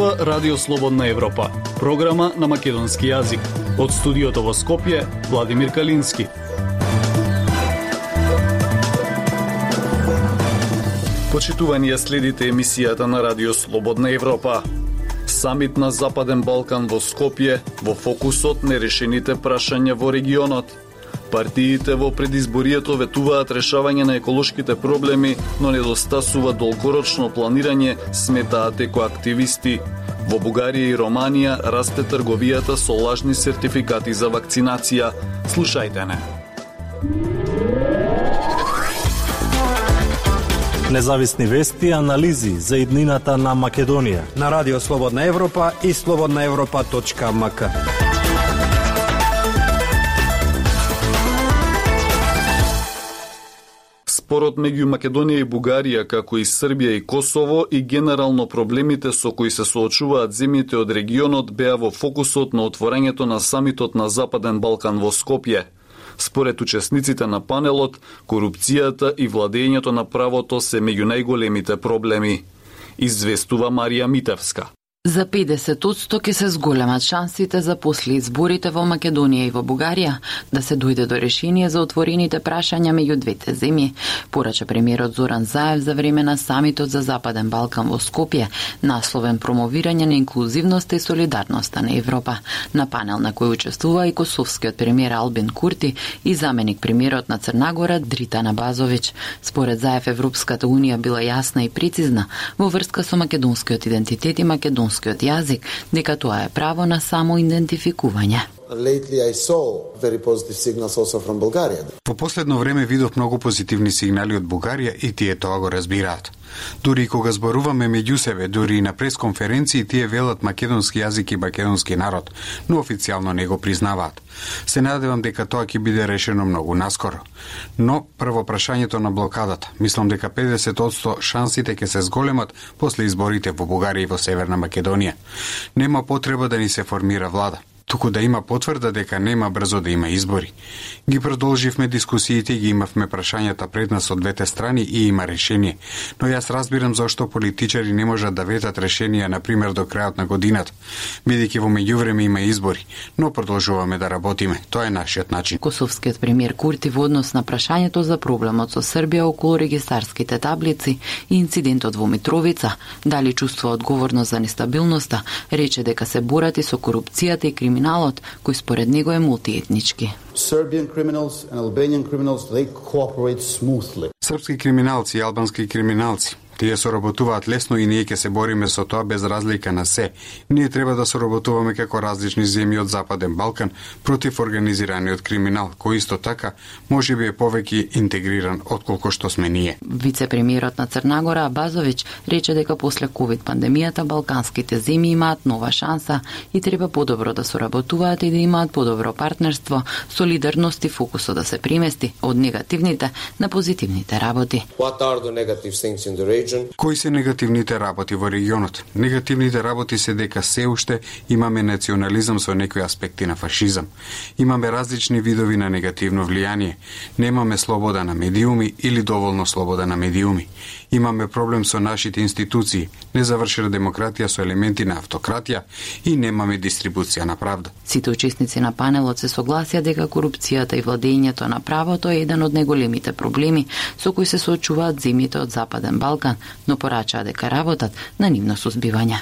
слуша Радио Слободна Европа, програма на македонски јазик. Од студиото во Скопје, Владимир Калински. Почитувани, следите емисијата на Радио Слободна Европа. Самит на Западен Балкан во Скопје, во фокусот нерешените прашања во регионот. Партиите во предизборието ветуваат решавање на еколошките проблеми, но недостасува долгорочно планирање, сметаат екоактивисти. Во Бугарија и Романија расте трговијата со лажни сертификати за вакцинација. Слушајте не. Независни вести и анализи за иднината на Македонија на Радио Слободна Европа и slobodnaevropa.mk. Спорот меѓу Македонија и Бугарија, како и Србија и Косово, и генерално проблемите со кои се соочуваат земјите од регионот беа во фокусот на отворањето на самитот на Западен Балкан во Скопје. Според учесниците на панелот, корупцијата и владењето на правото се меѓу најголемите проблеми. Известува Марија Митевска. За 50% ќе се зголемат шансите за после изборите во Македонија и во Бугарија да се дојде до решение за отворените прашања меѓу двете земји, порача премиерот Зоран Заев за време на самитот за Западен Балкан во Скопје, насловен промовирање на инклузивноста и солидарноста на Европа. На панел на кој учествува и косовскиот премиер Албин Курти и заменик премиерот на Црна Гора Дритана Базовиќ. Според Заев, Европската унија била јасна и прецизна во врска со македонскиот идентитет и македонскиот јазик, дека тоа е право на самоидентификување. Во последно време видов многу позитивни сигнали од Бугарија и тие тоа го разбираат. Дури и кога зборуваме меѓу себе, дури и на пресконференции, тие велат македонски јазик и македонски народ, но официјално не го признаваат. Се надевам дека тоа ќе биде решено многу наскоро. Но прво прашањето на блокадата. Мислам дека 50% шансите ќе се зголемат после изборите во Бугарија и во Северна Македонија. Нема потреба да ни се формира влада, туку да има потврда дека нема брзо да има избори. Ги продолживме дискусиите и ги имавме прашањата пред нас од двете страни и има решение. Но јас разбирам зашто политичари не можат да ветат решенија, например, до крајот на годината, бидејќи во меѓувреме има избори, но продолжуваме да работиме. Тоа е нашиот начин. Косовскиот премиер Курти во однос на прашањето за проблемот со Србија околу регистарските таблици и инцидентот во Митровица, дали чувствува одговорност за нестабилноста, рече дека се борат и со корупцијата и криминалот, кој според него е мултиетнички. Српски криминалци и албански криминалци, тие соработуваат лесно и ние ќе се бориме со тоа без разлика на се. Ние треба да соработуваме како различни земји од Западен Балкан против организираниот криминал, кој исто така можеби е повеќе интегриран отколку што сме ние. Вице-премиерот на Црна Гора Базовиќ рече дека после ковид пандемијата балканските земји имаат нова шанса и треба подобро да соработуваат и да имаат подобро партнерство, солидарност и фокусот да се премести од негативните на позитивните работи. Кои се негативните работи во регионот? Негативните работи се дека се уште имаме национализам со некои аспекти на фашизам. Имаме различни видови на негативно влијание. Немаме слобода на медиуми или доволно слобода на медиуми. Имаме проблем со нашите институции, незавршена демократија со елементи на автократија и немаме дистрибуција на правда. Сите учесници на панелот се согласија дека корупцијата и владењето на правото е еден од најголемите проблеми со кои се соочуваат земјите од Западен Балкан, но порачаа дека работат на нивно сузбивање.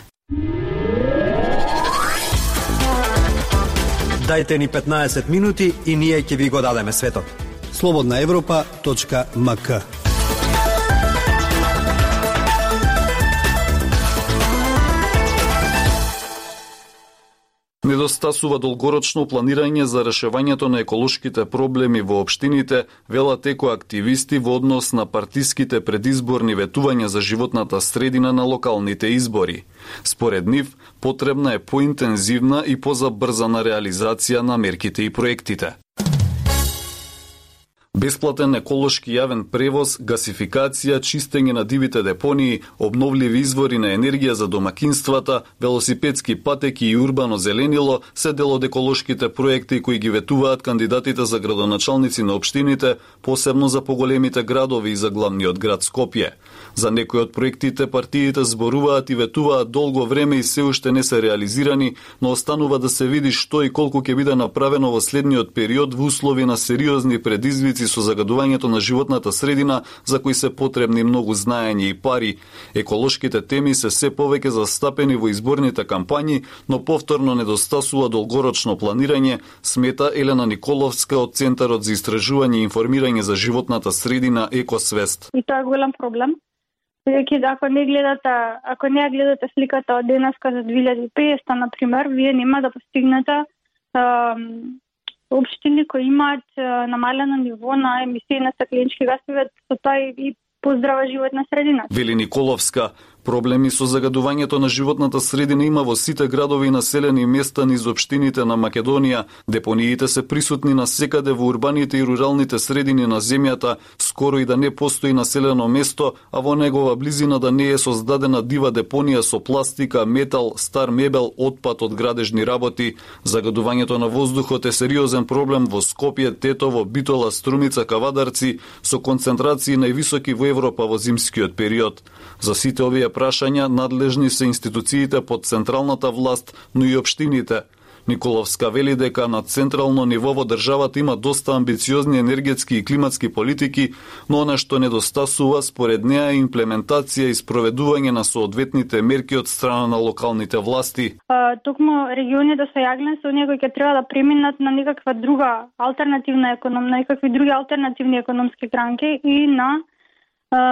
Дајте ни 15 минути и ние ќе ви го дадеме светот. slobodnaevropa.mk. Недостасува долгорочно планирање за решавањето на еколошките проблеми во општините, велат екоактивисти во однос на партиските предизборни ветувања за животната средина на локалните избори. Според нив, потребна е поинтензивна и позабрзана реализација на мерките и проектите. Бесплатен еколошки јавен превоз, гасификација, чистење на дивите депонии, обновливи извори на енергија за домакинствата, велосипедски патеки и урбано зеленило се дел од еколошките проекти кои ги ветуваат кандидатите за градоначалници на општините, посебно за поголемите градови и за главниот град Скопје. За некои од проектите партиите зборуваат и ветуваат долго време и се уште не се реализирани, но останува да се види што и колку ќе биде направено во следниот период во услови на сериозни предизвици со загадувањето на животната средина, за кои се потребни многу знаење и пари. Еколошките теми се повеќе застапени во изборните кампањи, но повторно недостасува долгорочно планирање, смета Елена Николовска од Центарот за истражување и информирање за животната средина Екосвест. И тоа е голем проблем. Ако не гледате сликата од денеска за 2050, например, вие нема да постигнете општини кои имаат намалено ниво на емисии на стакленички гасови, со тоа и поздрава животна средина. Вели Николовска, проблеми со загадувањето на животната средина има во сите градови и населени места низ општините на Македонија. Депониите се присутни насекаде во урбаните и руралните средини на земјата, скоро и да не постои населено место, а во негова близина да не е создадена дива депонија со пластика, метал, стар мебел, отпад од градежни работи. Загадувањето на воздухот е сериозен проблем во Скопје, Тетово, Битола, Струмица, Кавадарци, со концентрации највисоки во Европа во зимскиот период. За сите овие прашања надлежни се институциите под централната власт, но и општините. Николовска вели дека на централно ниво во државата има доста амбициозни енергетски и климатски политики, но она што недостасува според неа е имплементација и спроведување на соодветните мерки од страна на локалните власти. Токму регионите со јаглен се оние кои ќе треба да преминат на некаква друга алтернативна економија, на некакви други алтернативни економски гранки и на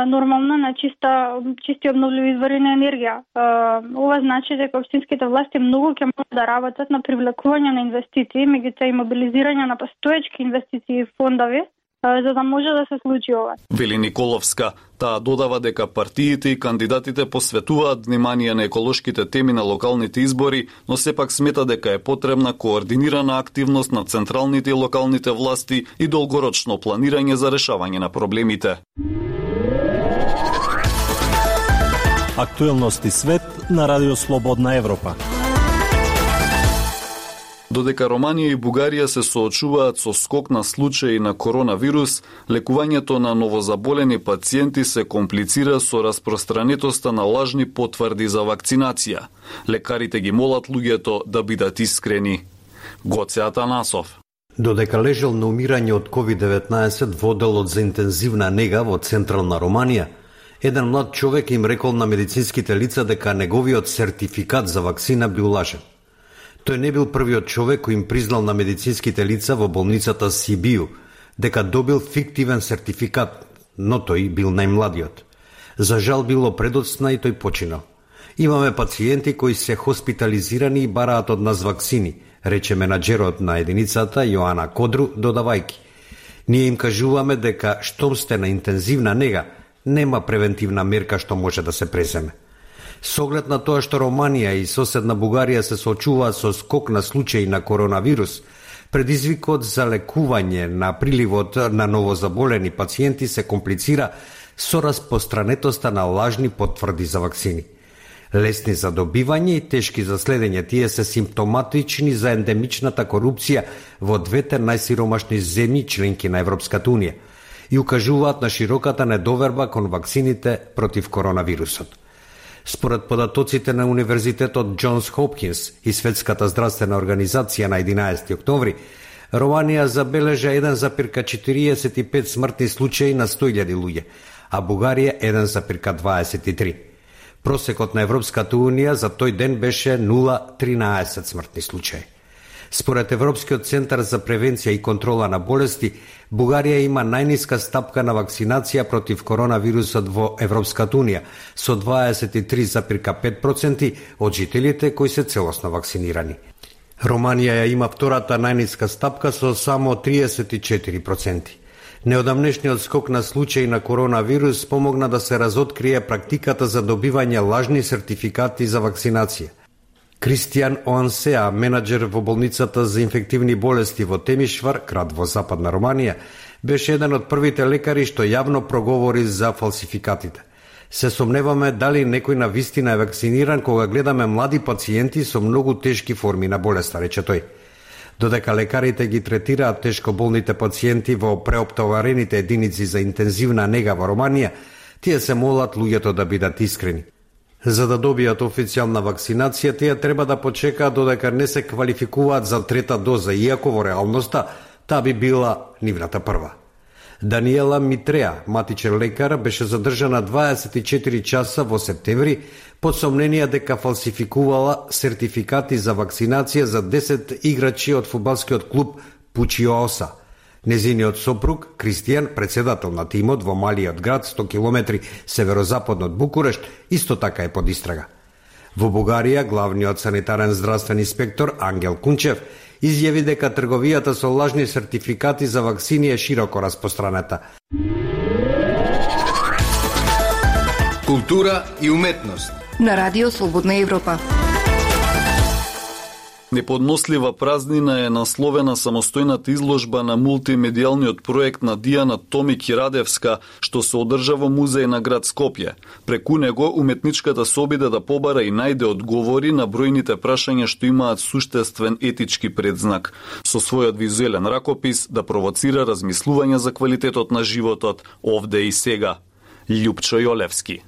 нормално на чисти обновливи извори на енергија. Ова значи дека општинските власти многу ќе можат да работат на привлекување на инвестиции, меѓутоа и мобилизирање на постоечки инвестиции и фондови, за да може да се случи ова. Вели Николовска, таа додава дека партиите и кандидатите посветуваат внимание на еколошките теми на локалните избори, но сепак смета дека е потребна координирана активност на централните и локалните власти и долгорочно планирање за решавање на проблемите. Актуелности свет на Радио Слободна Европа. Додека Романија и Бугарија се соочуваат со скок на случаи на коронавирус, лекувањето на новозаболени пациенти се комплицира со распространетоста на лажни потврди за вакцинација. Лекарите ги молат луѓето да бидат искрени. Гоце Атанасов. Додека лежал на умирање од COVID-19 во оделот за интензивна нега во централна Романија, еден млад човек им рекол на медицинските лица дека неговиот сертификат за вакцина бил лажен. Тој не бил првиот човек кој им признал на медицинските лица во болницата Сибију дека добил фиктивен сертификат, но тој бил најмладиот. За жал било предоцна и тој починал. Имаме пациенти кои се хоспитализирани и бараат од нас вакцини, рече менаџерот на единицата Јоана Кодру, додавајки. Ние им кажуваме дека штом сте на интензивна нега, нема превентивна мерка што може да се преземе. Со оглед на тоа што Романија и соседна Бугарија се соочуваат со скок на случаи на коронавирус, предизвикот за лекување на приливот на новозаболени пациенти се комплицира со распространетоста на лажни потврди за вакцини. Лесни за добивање и тешки за следење, тие се симптоматични за ендемичната корупција во двете најсиромашни земји членки на Европската Унија и укажуваат на широката недоверба кон вакцините против коронавирусот. Според податоците на Универзитетот Џонс Хопкинс и Светската здравствена организација на 11 октомври, Романија забележа 1,45 смртни случаи на 100.000 луѓе, а Бугарија 1,23. Просекот на Европската Унија за тој ден беше 0,13 смртни случаи. Според Европскиот центар за превенција и контрола на болести, Бугарија има најниска стапка на вакцинација против коронавирусот во Европската Унија, со 23,5% од жителите кои се целосно вакцинирани. Романија има втората најниска стапка со само 34%. Неодамнешниот скок на случаи на коронавирус помогна да се разоткрие практиката за добивање лажни сертификати за вакцинација. Кристијан Оансеа, менаџер во болницата за инфективни болести во Темишвар, град во Западна Романија, беше еден од првите лекари што јавно проговори за фалсификатите. Се сомневаме дали некој на вистина е вакциниран кога гледаме млади пациенти со многу тешки форми на болеста, рече тој. Додека лекарите ги третираат тешко болните пациенти во преоптоварените единици за интензивна нега во Романија, тие се молат луѓето да бидат искрени. За да добијат официјална вакцинација, тие треба да почекаат додека не се квалификуваат за трета доза, иако во реалноста таа би била нивната прва. Даниела Митреа, матичен лекар, беше задржана 24 часа во септември под сомнение дека фалсификувала сертификати за вакцинација за 10 играчи од фудбалскиот клуб Пучиооса. Незиниот сопруг, Кристијан, председател на тимот во малиот град 100 км северозападно од Букурешт, исто така е под истрага. Во Бугарија, главниот санитарен здравствен инспектор Ангел Кунчев изјави дека трговијата со лажни сертификати за вакцини е широко распространета. Култура и уметност на Радио Слободна Европа. Неподнослива празнина е насловена самостојната изложба на мултимедијалниот проект на Дијана Томик Радевска, што се одржа во музеј на град Скопје. Преку него уметничката се обиде да побара и најде одговори на бројните прашања што имаат суштествен етички предзнак. Со својот визуелен ракопис да провоцира размислување за квалитетот на животот овде и сега. Љупчо Јолевски.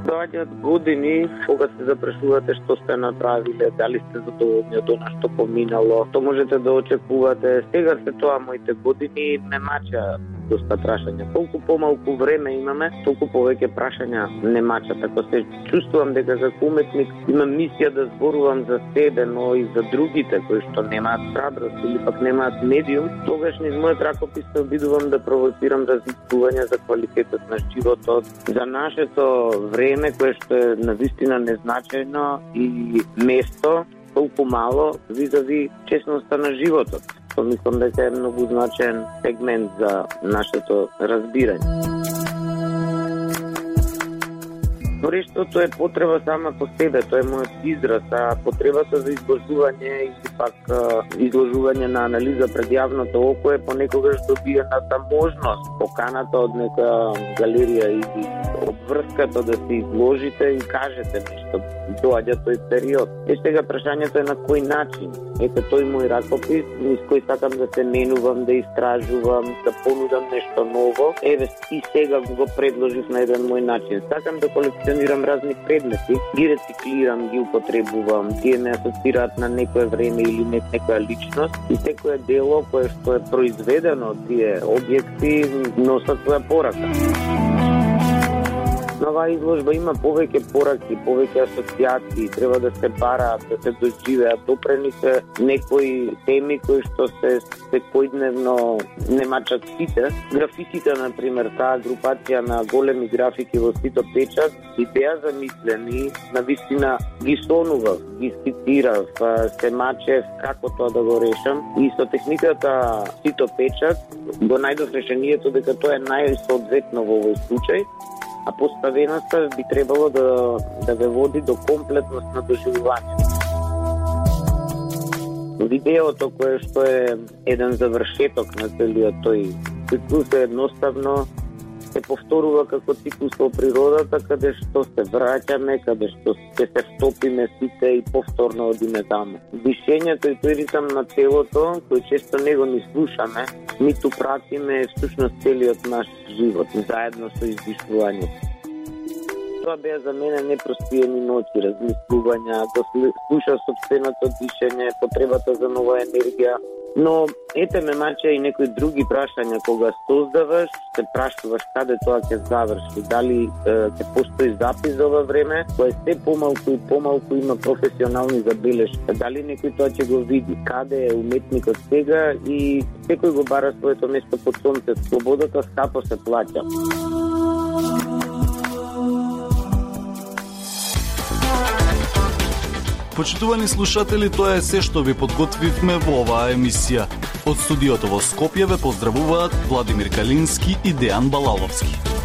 Доаѓаат години кога се запрашувате што сте направиле, дали сте задоволни од она што поминало, што можете да очекувате. Сега се тоа моите години ме мача доста прашања. Колку помалку време имаме, толку повеќе прашања не мача. Така се чувствувам дека како уметник имам мисија да зборувам за себе, но и за другите кои што немаат храброст или пак немаат медиум. Тогаш низ мојот ракопис се обидувам да провоцирам размислување за квалитетот на животот, за нашето време кое што е навистина незначајно и место толку мало визави честноста на животот. Тоа мислам дека е многу значаен сегмент за нашето разбирање. Норештото е потреба сама по себе, тоа е мојот израз, а потребата за изложување или пак изложување на анализа пред јавното око е понекогаш добиената можност, поканата од нека галерија или обврската да се изложите и кажете нешто. Доаѓа тој период. Сега прашањето е на кој начин. Ете тој мој ракопис, низ кој сакам да се менувам, да истражувам, да понудам нешто ново. Еве и сега го предложив на еден мој начин. Сакам да колекционирам разни предмети, ги рециклирам, ги употребувам, тие ме асоцираат на некое време или некоја личност и секое дело кое што е произведено од тие објекти носат своја порака. На оваа изложба има повеќе пораки, повеќе асоциации, треба да се бараат, да се доживеат, допрени се некои теми кои што се секојдневно не мачат сите. Графиките, например, таа групација на големи графики во Сито Печат, и беа замислени, навистина ги сонував, ги скицирав, се мачев како тоа да го решам и со техниката Сито Печат го најдов решението дека тоа е најсоодветно во овој случај, а поставеноста би требало да ве води до комплетност на доживување. Видеото кое што е еден завршеток на целиот тој циклус е едноставно се повторува како циклус во природата, каде што се враќаме, каде што се втопиме сите и повторно одиме таму. Дишењето и тој ритам на телото, кој често него ни слушаме, ниту пратиме всушност целиот наш живот, заедно со издишувањето. Тоа беа за мене непроспиени ноќи, размислувања, да слуша сопственото дишење, потребата за нова енергија. Но ете ме мача и некои други прашања кога создаваш, се прашуваш каде тоа ќе заврши, дали ќе постои запис за ова време, кој се помалку и помалку има професионални забелешки, дали некој тоа ќе го види, каде е уметникот сега и секој го бара своето место под сонцето. Слободата скапо се плаќа. Почитувани слушатели, тоа е се што ви подготвивме во оваа емисија. Од студиото во Скопје ве поздравуваат Владимир Калински и Дејан Балаловски.